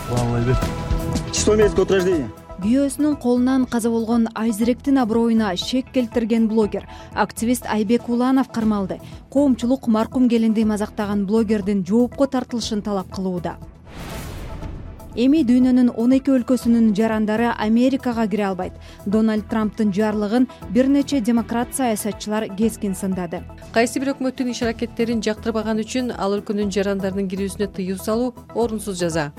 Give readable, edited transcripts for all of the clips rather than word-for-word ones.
Число месяца от рождения. Күйөөсүнүн колунан каза болгон Айзеректин аброюна шек келтирген блогер, активист Айбек Уланов кармалды. Коомчулук маркум келинди мазактаган блогердин жоопко тартылышын талап кылууда. Эми дүйнөнүн 12 өлкөсүнүн жарандары Америкага кире албайт. Дональд Трамптын жарлыгын бир нече демократ саясатчылар кескин сындады. Кайсы бир өкмөттүн иш аракеттерин жактырбаган үчүн ал өлкөнүн жарандарынын кирүүсүнө тыюу салуу орунсуз жаза.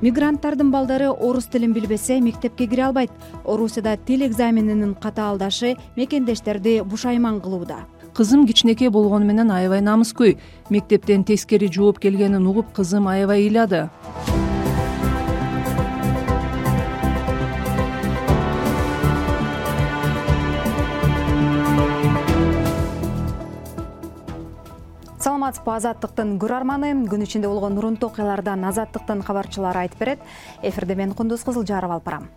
Мигранттардын балдары орус тилин билбесе мектепке кире албайт. Орусияда тил экзаменинин катаалдашы мекендештерди бушайман кылууда. Кызым кичинекей болгону менен аябай намыскөй. Мектептен тескери жооп келгенин угуп кызым аябай ыйлады. Саламатсызбы, Азаттыктын көрөрманы. Күн ичинде болгон урунтуу окуялардан Азаттыктын кабарчылары айтып берет. Эфирде мен Кундуз Кызылжаров алып барам.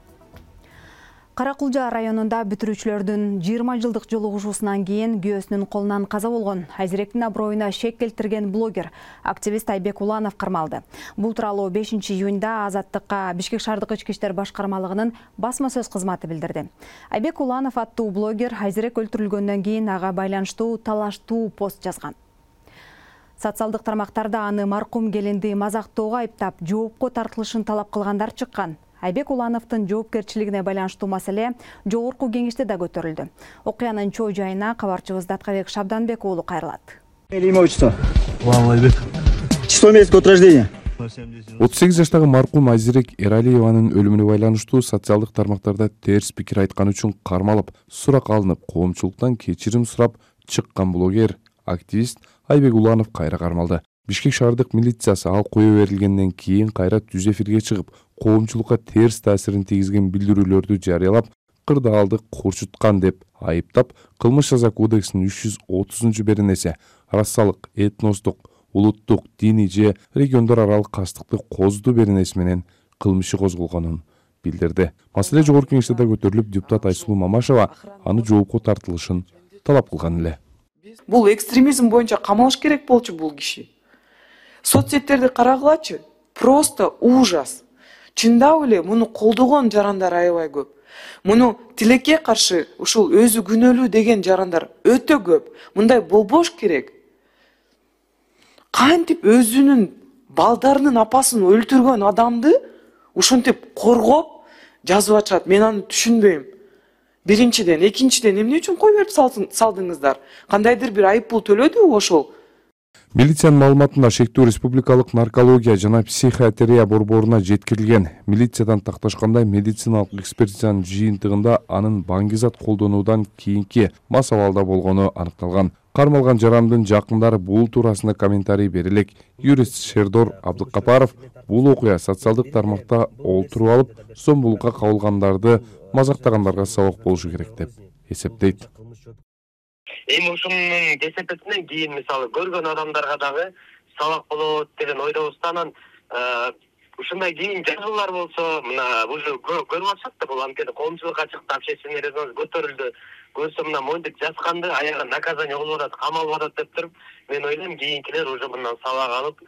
Каракулжа районунда бүтүрүүчүлөрдүн 20 жылдык жолугушуусунан кийин күйөөсүнүн колунан каза болгон Айзеректин аброюна шек келтирген блогер, активист Айбек Уланов кармалды. Бул тууралуу 5-июнда Азаттыкка Бишкек шаардык ички иштер башкармалыгынын басма сөз кызматы билдирди. Айбек Уланов аттуу блогер Айзерек өлтүрүлгөндөн кийин ага байланыштуу талаштуу пост жазган. Социалдык тармактарда аны маркум келинди мазактоого айыптап, жоопко тартылышын талап кылгандар чыккан. Айбек Улановдун жоопкерчилигине байланыштуу маселе жогорку кеңеште да көтөрүлдү. Окуянын чоо жайына кабарчыбыз Даткабек Шабданбек уулу кайрылат. Имя, отчество. Айбек. Число месяца от рождения. 38 жаштагы маркум Айзерек Эралиеванын өлүмүнө байланыштуу социалдык тармактарда терс пикир айтканы үчүн кармалып, сурак алынып, коомчулуктан кечирим сурап чыккан блогер, активист Айбек Уланов кайра кармалды. Бишкек шаардык милициясы ал кое берилгенден кийин кайра түз эфирге чыгып, коомчулукка терс таасирин тийгизген билдирүүлөрдү жарыялап, кырдаалды курчуткан деп айыптап, кылмыш жаза кодексинин 330-беренеси расалык, этностук, улуттук, диний же региондор аралык кастыкты козду беренеси менен кылмыш иши козголгонун билдирди. Маселе жогорку кеңеште да көтөрүлүп, депутат Айсулуу Мамашева аны жоопко тартылышын талап кылган эле. Бул экстремизм боюнча камалыш керек болчу бул киши. Соцсеттерди карагылачы, просто ужас. Чындап эле муну колдогон жарандар аябай көп. Муну тилекке каршы ушул өзү күнөөлүү деген жарандар өтө көп. Мындай болбош керек. Кантип өзүнүн балдарынын апасын өлтүргөн адамды ушинтип коргоп жазып атышат, мен аны түшүнбөйм. Биринчиден, экинчиден эмне үчүн кой берип салдыңыздар? Кандайдыр бир айып пул төлөдүбү ошол? Милициянын маалыматында шектүү республикалык наркология жана психиатрия борборуна жеткирилген. Милициядан такташкандай медициналык экспертизанын жыйынтыгында анын баңгизат колдонуудан кийинки мас абалда болгону аныкталган. Кармалган жарандын жакындары бул туурасында комментарий берелек. Юрист Шердор Абдыкапаров бул окуя социалдык тармакта олтуруп алып, сомбулукка кабылгандарды мазактагандарга сабак болушу керек деп эсептейт. Эми ушунун кесепетинен кийин мисалы көргөн адамдарга дагы сабак болот деген ойдобуз. Анан ушундай кийин жазуулар болсо, мына уже көрүп атышат да, бул анткени коомчулукка чыкты, общественный резонанс көтөрүлдү. Көрсө мына моюнтук жазганды аягы наказание болуп атат, камалып атат деп туруп, мен ойлойм кийинкилер уже мындан сабак алып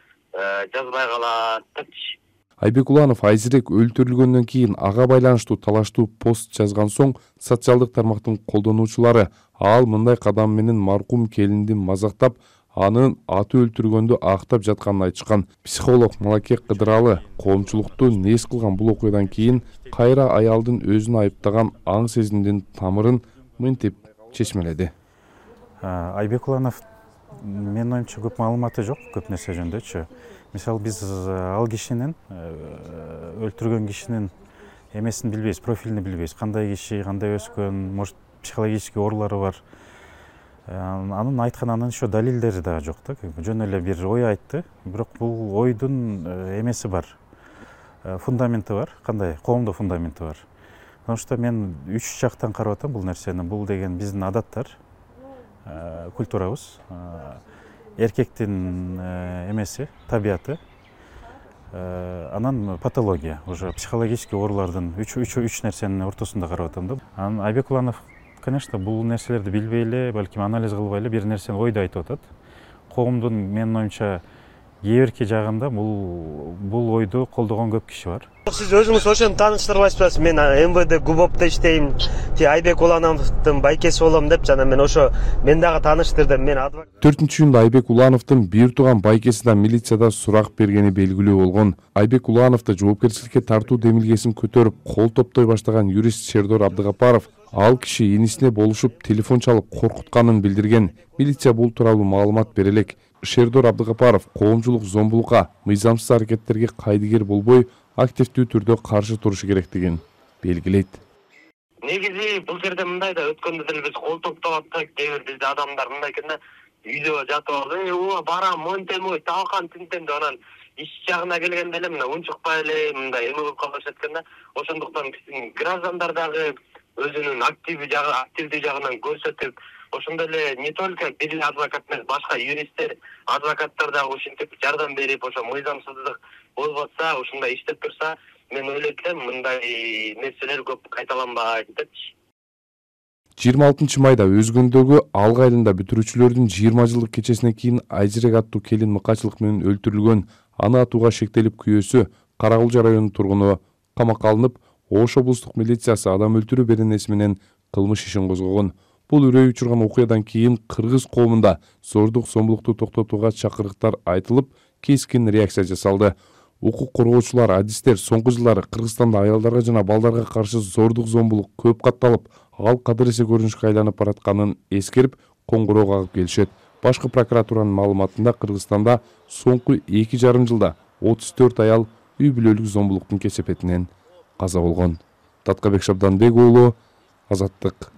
жазбай калат депчи. Айбек Уланов Айзерек өлтүрүлгөндөн кийин ага байланыштуу талаштуу пост жазган соң социалдык тармактын колдонуучулары ал мындай кадам менен маркум келинди мазактап, анын аты өлтүргөндү актап жатканын айтышкан. Психолог Малаке Кыдыралы коомчулукту нес кылган бул окуядан кийин кайра аялдын өзүн айыптаган аң сезимдин тамырын мынтип чечмеледи. Айбек Уланов менин оюмча көп маалыматы жок, көп нерсе жөнүндөчү. Мисалы биз ал кишинин өлтүргөн кишинин эмесин билбейбиз, профилин билбейбиз. Кандай киши, кандай өскөн, может психологический оорулары бар. Анын айтканынын еще далилдери да жок да. Жөн эле бир ой айтты, бирок бул ойдун эмеси бар. Фундаменти бар. Кандай? Коомдо фундаменти бар. Потому что мен үч жактан карап атам бул нерсени. Бул деген биздин адаттар, культурабыз, эркектин эмеси, табияты, анан патология, уже психологический оорулардын үч нерсенин ортосунда карап атам да. Анан Айбек Уланов, конечно, бул нерселерди билбей эле, балким анализ кылбай эле бир нерсени ойду айтып атат. Коомдун менин оюмча кээ бирки жагында бул ойду колдогон көп киши бар. Сиз өзүңүз ошону тааныштырбайсызбы? Мен МВД ГУБОПто иштейм, Айбек Улановдун байкеси болом деп жана мен дагы тааныштырдым. Мен адвокат. 4-июнда Айбек Улановдун бир тууган байкеси да милицияда сурак бергени белгилүү болгон. Айбек Улановду жоопкерчиликке тартуу демилгесин көтөрүп, кол топтой баштаган юрист Шердор Абдыгапаров ал киши инисине болушуп телефон чалып коркутканын билдирген. Милиция бул тууралуу маалымат бере элек. Шердор Абдыгапаров коомчулук зомбулукка, мыйзамсыз аракеттерге кайдыгер болбой, активдүү түрдө каршы турушу керектигин белгилейт. Негизи бул жерде мындай да өткөндө деле биз кол топтоп аттык, кээ бир бизде адамдар мындай экен да, үйдө жатып алып, барам, монтем, талкан тинтем деп анан иш жагына келгенде эле мына унчукпай эле мындай эме болуп калышат экен да. Ошондуктан биздин граждандар дагы өзүнүн активдүү жагынан көрсөтүп, ошондой эле не только бир адвокат эмес, башка юристтер, адвокаттар дагы ушинтип жардам берип, ошо мыйзамсыздык болуп атса, ушундай иштеп турса, мен ойлойт элем мындай нерселер көп кайталанбайт депчи. 26 майда Өзгөндөгү Алга айылында бүтүрүүчүлөрдүн 20 жылдык кечесинен кийин Айжирек аттуу келин мыкачылык менен өлтүрүлгөн. Аны атууга шектелип күйөөсү Каракулча районунун тургуну камакка алынып, Ош облустук милициясы адам өлтүрүү беренеси менен кылмыш ишин козгогон. Бул үрөй учурган окуядан кийин кыргыз коомунда зордук зомбулукту токтотууга чакырыктар айтылып, кескин реакция жасалды. Укук коргоочулар, адистер соңку жылдары Кыргызстанда аялдарга жана балдарга каршы зордук зомбулук көп катталып, ал кадыресе көрүнүшкө айланып баратканын эскерип, коңгуроо кагып келишет. Башкы прокуратуранын маалыматында Кыргызстанда соңку 2,5 жылда 34 аял үй бүлөлүк зомбулуктун кесепетинен каза болгон. Таткабек Шабданбек уулу, Азаттык.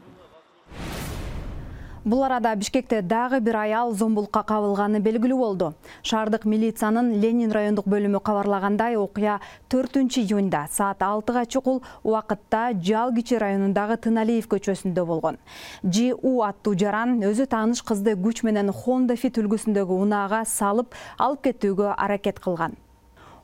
Бул арада Бишкекте дагы бир аял зомбулукка кабылганы белгилүү болду. Шаардык милициянын Ленин райондук бөлүмү кабарлагандай, окуя 4-июнда саат 6-га чукул убакытта Жалгичи районундагы Тыналиев көчөсүндө болгон. ЖУ аттуу жаран өзү тааныш кызды күч менен Honda Fit үлгүсүндөгү унаага салып алып кетүүгө аракет кылган.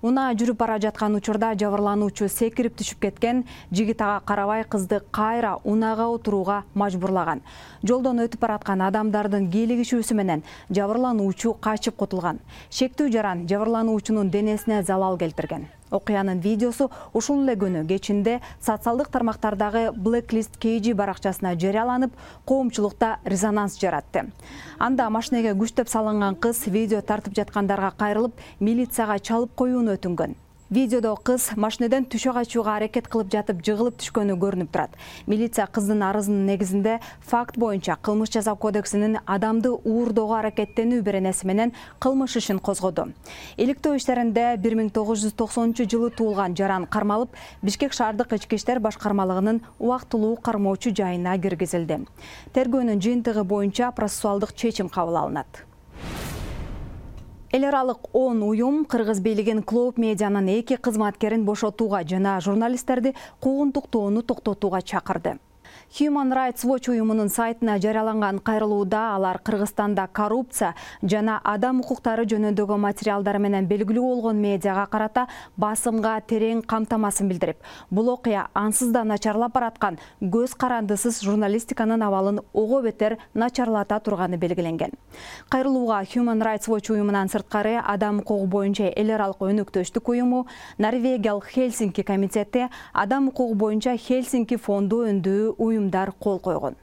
Унаа жүрүп бара жаткан учурда жабырлануучу секирип түшүп кеткен, жигит ага карабай кызды кайра унаага отурууга мажбурлаган. Жолдон өтүп бараткан адамдардын кийлигишүүсү менен жабырлануучу качып кутулган. Шектүү жаран жабырлануучунун денесине залал келтирген. Окуянын видеосу ушул эле күнү кечинде социалдык тармактардагы Blacklist KG баракчасына жарыяланып, коомчулукта резонанс жаратты. Анда машинеге күчтөп салынган кыз видео тартып жаткандарга кайрылып, милицияга чалып коюуну өтүнгөн. Видеодо кыз машинеден түшө качууга аракет кылып жатып жыгылып түшкөнү көрүнүп турат. Милиция кыздын арызынын негизинде факт боюнча кылмыш жаза кодексинин адамды уурдоого аракеттенүү беренеси менен кылмыш ишин козгоду. Иликтөө иштеринде 1990 жылы туулган жаран кармалып, Бишкек шаардык ички иштер башкармалыгынын убактылуу кармоочу жайына киргизилди. Тергөөнүн жыйынтыгы боюнча процессуалдык чечим кабыл алынат. Эл аралык 10 уюм кыргыз бийлигин Клоуп медианын 2 кызматкерин бошотууга жана журналисттерди куугунтуктоону токтотууга чакырды. Human Rights Watch уюмунун сайтына жарыяланган кайрылууда алар Кыргызстанда коррупция жана адам укуктары жөнүндөгү материалдар менен белгилүү болгон медиага карата басымга терең камтамасын билдирип, бул окуя ансыз да начарлап бараткан көз карандысыз журналистиканын абалын ого бетер начарлата турганы белгиленген. Кайрылууга Human Rights Watch уюмунан сырткары адам укугу боюнча эл аралык өнөктөштүк уюму, Норвегиялык Хельсинки комитети, адам укугу боюнча Хельсинки фонду өндүү уюмдар кол койгон.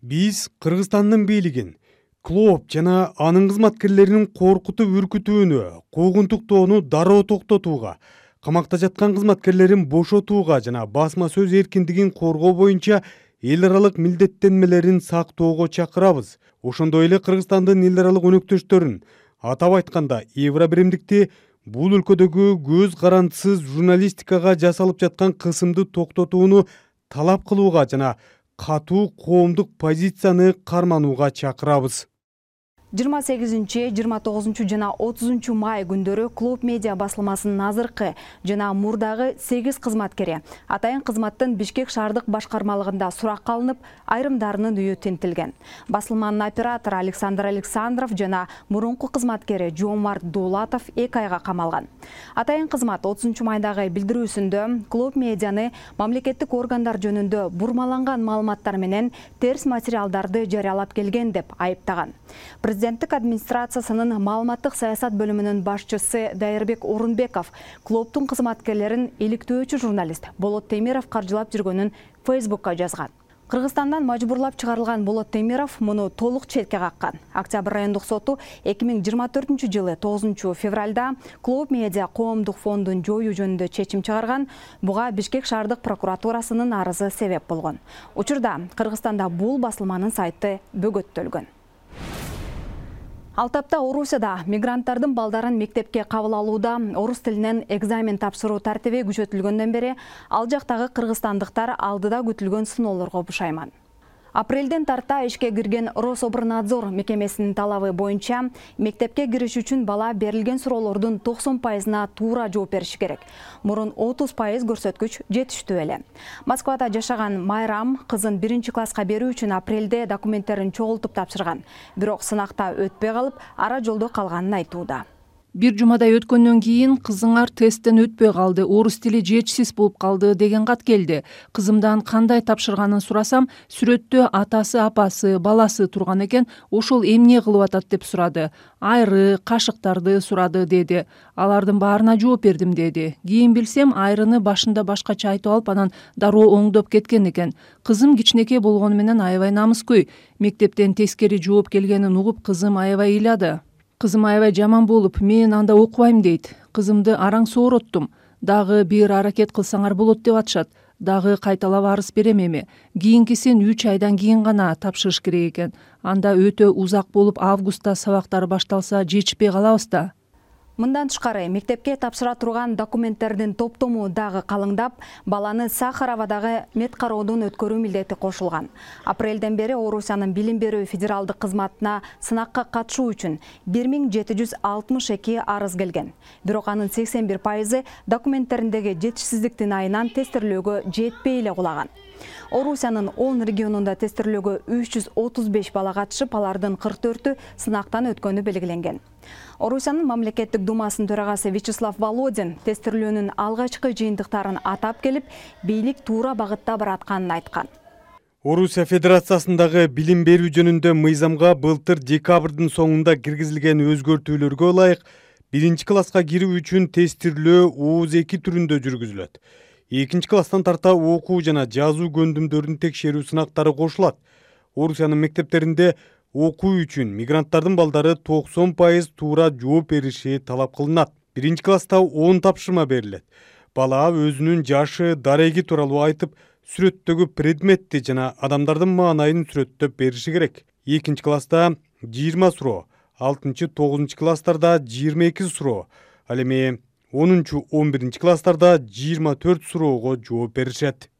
Биз Кыргызстандын бийлигин Клоуп жана анын кызматкерлеринин коркутуп үркүтүүнү, куугунтуктоону дароо токтотууга, камакта жаткан кызматкерлерин бошотууга жана басма сөз эркиндигин коргоо боюнча эл аралык милдеттенмелерин сактоого чакырабыз. Ошондой эле Кыргызстандын эл аралык өнөктөштөрүн, атап айтканда Евробиримдикти бул өлкөдөгү көз карандысыз журналистикага жасалып жаткан кысымды токтотууну талап кылууга жана катуу коомдук позицияны карманууга чакырабыз. 28, 29 жана 30 май күндөрү Клоуп медиа басылмасынын азыркы жана мурдагы 8 кызматкери атайын кызматтын Бишкек шаардык башкармалыгында суракка алынып, айрымдарынын үйү тинтилген. Басылманын оператору Александр Александров жана мурунку кызматкери Жомарт Дулатов 2 айга камалган. Атайын кызмат 30 майдагы билдирүүсүндө Клоуп медианы мамлекеттик органдар жөнүндө бурмаланган маалыматтар менен терс материалдарды жарыялап келген деп айыптаган. Президенттик администрациясынын маалыматтык саясат бөлүмүнүн башчысы Дайырбек Орунбеков клубдун кызматкерлерин иликтөөчү журналист Болот Темиров каржылап жүргөнүн Фейсбукка жазган. Кыргызстандан мажбурлап чыгарылган Болот Темиров муну толук четке каккан. Октябрь райондук соту 2024-жылы 9 февралда Клуб Медиа коомдук фондун жоюу жөнүндө чечим чыгарган. Буга Бишкек шаардык прокуратурасынын арызы себеп болгон. Учурда Кыргызстанда бул басылманын сайты бөгөттөлгөн. Ал тапта Орусияда мигранттардын балдарын мектепке кабыл алууда орус тилинен экзамен тапшыруу тартиби күчөтүлгөндөн бери ал жактагы кыргызстандыктар алдыда күтүлгөн сыноолорго бушайман. Апрелден тарта ишке кирген Рособорнадзор мекемесинин талабы боюнча мектепке кириш үчүн бала берилген суроолордун 90%-на туура жооп бериши керек. Мурун 30% көрсөткүч жетиштүү эле. Москвада жашаган Майрам кызын 1-класска берүү үчүн апрелде документтерин чогултуп тапшырган. Бирок сынакта өтпөй калып, ара жолдо калганын айтууда. Бир жумадай өткөндөн кийин кызыңар тесттен өтпөй калды, орус тили жетишсиз болуп калды деген кат келди. Кызымдан кандай тапшырганын сурасам, сүрөттө атасы, апасы, баласы турган экен, ошол эмне кылып атат деп сурады. Айры, кашыктарды сурады деди. Алардын баарына жооп бердим деди. Кийин билсем, айрыны башында башкача айтып алып, анан дароо оңдоп кеткен экен. Кызым кичинекей болгону менен аябай намыскөй. Мектептен тескери жооп келгенин угуп, кызым аябай ыйлады. Кызым аябай жаман болуп, мен анда окубайм дейт. Кызымды араң соороттум. Дагы бир аракет кылсаңар болот деп атышат. Дагы кайталап арыз берем эми. Кийинкисин 3 айдан кийин гана тапшырыш керек экен. Анда өтө узак болуп, августта сабактар башталса жетишпей калабыз да. Мындан тышкары мектепке тапшыра турган документтердин топтому дагы калыңдап, баланы Сахаровадагы мед кароодон өткөрүү милдети кошулган. Апрелден бери Орусиянын билим берүү федералдык кызматына сынакка катышуу үчүн 1762 арыз келген. Бирок анын 81% документтериндеги жетишсиздиктин айынан тестирлөөгө жетпей эле кулаган. Орусиянын 10 регионунда тестирлөөгө 335 бала катышып, алардын 44-ü сынактан өткөнү белгиленген. Орусиянын мамлекеттик думасынын төрагасы Вячеслав Володин тестирлөөнүн алгачкы жыйынтыктарын атап келип, бийлик туура багытта баратканын айткан. Орусия Федерациясындагы билим берүү жөнүндө мыйзамга былтыр декабрдын соңунда киргизилген өзгөртүүлөргө ылайык 1-класска кирүү үчүн тестирлөө ооз 2 түрүндө жүргүзүлөт. 2-класстан тарта окуу жана жазуу көндүмдөрүн текшерүү сынактары кошулат. Орусиянын мектептеринде окуу үчүн мигранттардын балдары 90% туура жооп бериши талап кылынат. 1-класста 10 тапшырма берилет. Бала өзүнүн жашы, дареги тууралуу айтып, сүрөттөгү предметти жана адамдардын маанайын сүрөттөп бериши керек. 2-класста 20 суроо, 6-9 класстарда 22 суроо, ал эми 10-11 класстарда 24 суроого жооп беришет.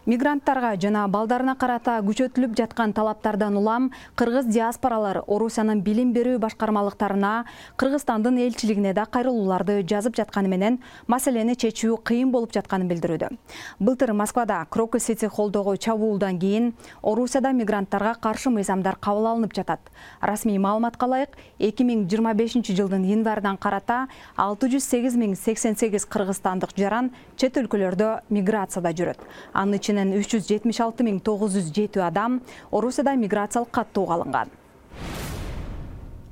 Мигранттарга жана балдарына карата күчөтүлүп жаткан талаптардан улам кыргыз диаспоралары Орусиянын билим берүү башкармалыктарына, Кыргызстандын элчилигине да кайрылууларды жазып жатканы менен маселени чечүү кыйын болуп жатканын билдирүүдө. Былтыр Москвада Крокус Сити холлдогу чабуулдан кийин Орусияда мигранттарга каршы мыйзамдар кабыл алынып жатат. Расмий маалыматка ылайык, 2025-жылдын январынан карата 608.088 кыргызстандык жаран чет өлкөлөрдө миграцияда жүрөт. Анын 376.907 адам Орусияда миграциялык каттоого алынган.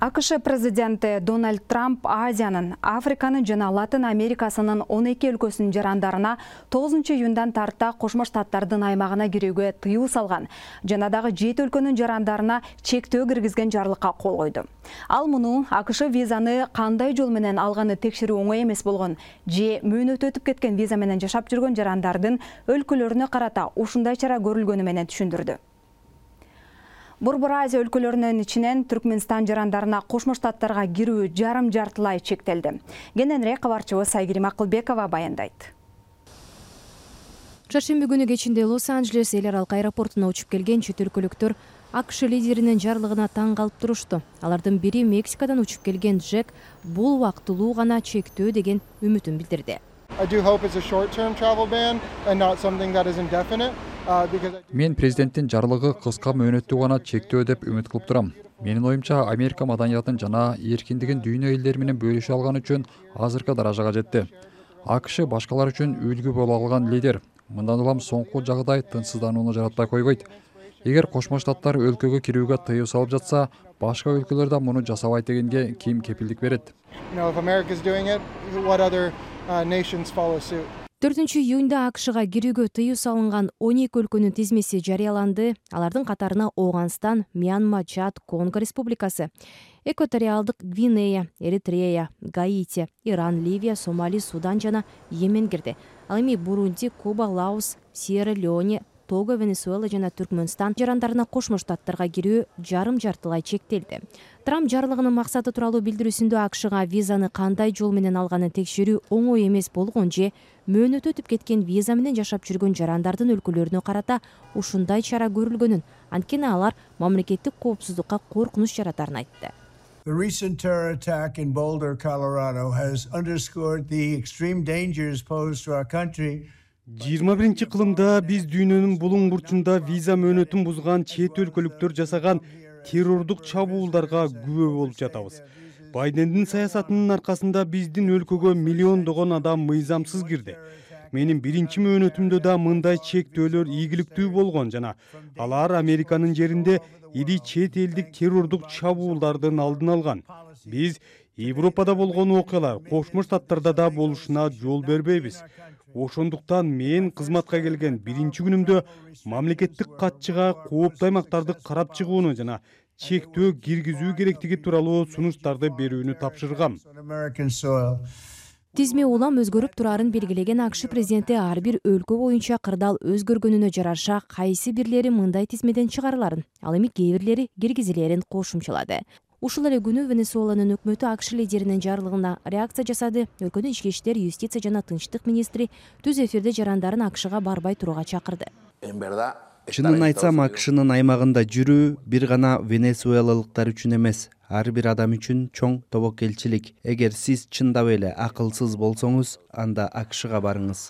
АКШ президенти Дональд Трамп Азиянын, Африканын жана Латын Америкасынын 12 өлкөсүнүн жарандарына 9-июндан тарта Кошмо Штаттардын аймагына кирүүгө тыюу салган жана дагы 7 өлкөнүн жарандарына чектөө киргизген жарлыкка кол койду. Ал муну АКШ визаны кандай жол менен алганы текшерүү оңой эмес болгон же мөөнөтү өтүп кеткен виза менен жашап жүргөн жарандардын өлкөлөрүнө карата ушундай чара көрүлгөнү менен түшүндүрдү. Борбор Азия өлкөлөрүнүн ичинен Түркмөнстан жарандарына Кошмо Штаттарга кирүү жарым-жартылай чектелди. Кененирээк кабарчыбыз Сайгирим Акылбекова баяндайт. Чаршемби күнү кечинде Лос-Анджелес эл аралык аэропортуна учуп келген чет өлкөлүктөр АКШ лидеринин жарлыгына таң калып турушту. Алардын бири Мексикадан учуп келген Джек бул убактылуу гана чектөө деген үмүтүн билдирди. Мен президенттин жарлыгы кыска мөөнөттүү гана чектөө деп үмүт кылып турам. Менин оюмча, Америка маданиятын жана эркиндигин дүйнө элдери менен бөлүшө алган үчүн азыркы даражага жетти. АКШ башкалар үчүн үлгү боло алган лидер. Мындан улам соңку жагдай тынчсызданууну жаратпай койбойт. Эгер Кошмо Штаттар өлкөгө кирүүгө тыюу салып жатса, башка өлкөлөр да муну жасабайт дегенге ким кепилдик берет? 4-июнда АКШга кирүүгө тыюу салынган 12 өлкөнүн тизмеси жарыяланды. Алардын катарына Оогандстан, Мьянма, Чад, Конго Республикасы, Экваториалдык Гвинея, Эритрея, Гаити, Иран, Ливия, Сомали, Судан жана Йемен кирди. Ал эми Бурунди, Куба, Лаос, Сьерра-Леоне, Того, Венесуэла жана Түркмөнстан жарандарына Кошмо Штаттарга кирүү жарым-жартылай чектелди. Трамп жарлыгынын максаты тууралуу билдирүүсүндө АКШга визаны кандай жол менен алганын текшерүү оңой эмес болгон же мөөнөтү өтүп кеткен виза менен жашап жүргөн жарандардын өлкөлөрүнө карата ушундай чара көрүлгөнүн, анткени алар мамлекеттик коопсуздукка коркунуч жаратарын айтты. The recent terror attack in Boulder, Colorado has underscored the extreme dangers posed to our country. 21-кылымда биз дүйнөнүн булуң бурчунда виза мөөнөтүн бузган чет өлкөлүктөр жасаган террордук чабуулдарга күбө болуп жатабыз. Байдендин саясатынын аркасында биздин өлкөгө миллиондогон адам мыйзамсыз кирди. Менин биринчи мөөнөтүмдө да мындай чектөөлөр ийгиликтүү болгон жана алар Американын жеринде ири чет элдик террордук чабуулдардын алдын алган. Биз Европада болгон окуялар Кошмо Штаттарда да болушуна жол бербейбиз. Ошондуктан мен кызматка келген биринчи күнүмдө мамлекеттик катчыга кооптуу аймактарды карап чыгууну жана чектөө киргизүү керектиги тууралуу сунуштарды берүүнү тапшыргам. Тизме улам өзгөрүп турарын белгилеген АКШ президенти ар бир өлкө боюнча кырдаал өзгөргөнүнө жараша кайсы бирлери мындай тизмеден чыгарыларын, ал эми кээ бирлери киргизилерин кошумчалады. Ушул эле күнү Венесуэланын өкмөтү АКШ лидеринин жарлыгына реакция жасады. Өлкөнүн ички иштер, юстиция жана тынчтык министри түз эфирде жарандарын АКШга барбай турууга чакырды. Чынын айтсам, АКШнын аймагында жүрүү бир гана венесуэлалыктар үчүн эмес, ар бир адам үчүн чоң тобокелчилик. Эгер сиз чындап эле акылсыз болсоңуз, анда АКШга барыңыз.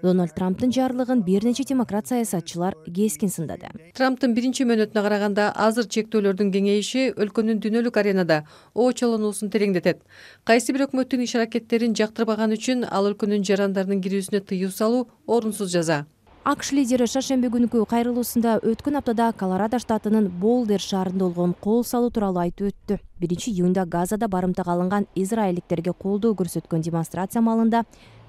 Дональд Трамптын жарлыгын бир нече демократ саясатчылар кескин сындады. Трамптын биринчи мөөнөтүнө караганда азыр чектөөлөрдүн кеңейиши өлкөнүн дүйнөлүк аренада оочолонуусун тереңдетет. Кайсы бир өкмөттүн иш-аракеттерин жактырбаган үчүн ал өлкөнүн жарандарынын кирүүсүнө тыюу салуу орунсуз жаза. АКШ лидери шаршемби күнкү кайрылуусунда өткөн аптада Колорадо штатынын Болдер шаарында болгон кол салуу тууралуу айтып өттү. 1-июнда Газада барымтага алынган израилдиктерге колдоо көрсөткөн демонстрация маалында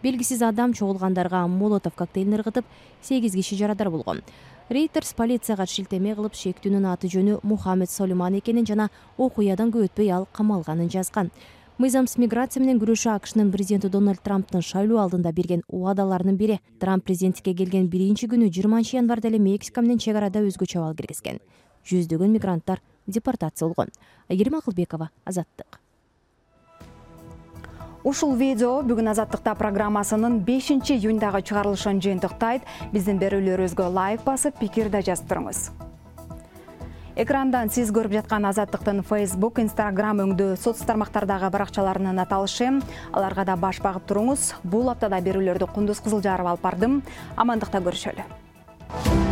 белгисиз адам чогулгандарга молотов коктейлин ыргытып, 8 киши жарадар болгон. Рейтерс полицияга шилтеме кылып шектүүнүн аты жөнү Мухаммед Солиман экенин жана окуядан көп өтпөй ал камалганын жазган. Мыйзамсыз миграция менен күрөшүү АКШнын президенти Дональд Трамптын шайлоо алдында берген убадаларынын бири. Трамп президенттикке келген биринчи күнү 20-январда эле Мексика менен чек арада өзгөчө абал киргизген. Жүздөгөн мигранттар депортация болгон. Айгерим Акылбекова, Азаттык. Ушул видео бүгүн Азаттыкта программасынын 5-июндагы чыгарылышын жыйынтыктайт. Биздин берүүлөрүбүзгө лайк басып, пикир да жазып туруңуз. Экрандан сиз көрүп жаткан Азаттыктын Facebook, Instagram өңдүү соц тармактардагы баракчаларынын аталышы. Аларга да баш багып туруңуз. Бул аптада берүүлөрдү Кундуз Кызылжарова алып бардым. Амандыкта көрүшөлү.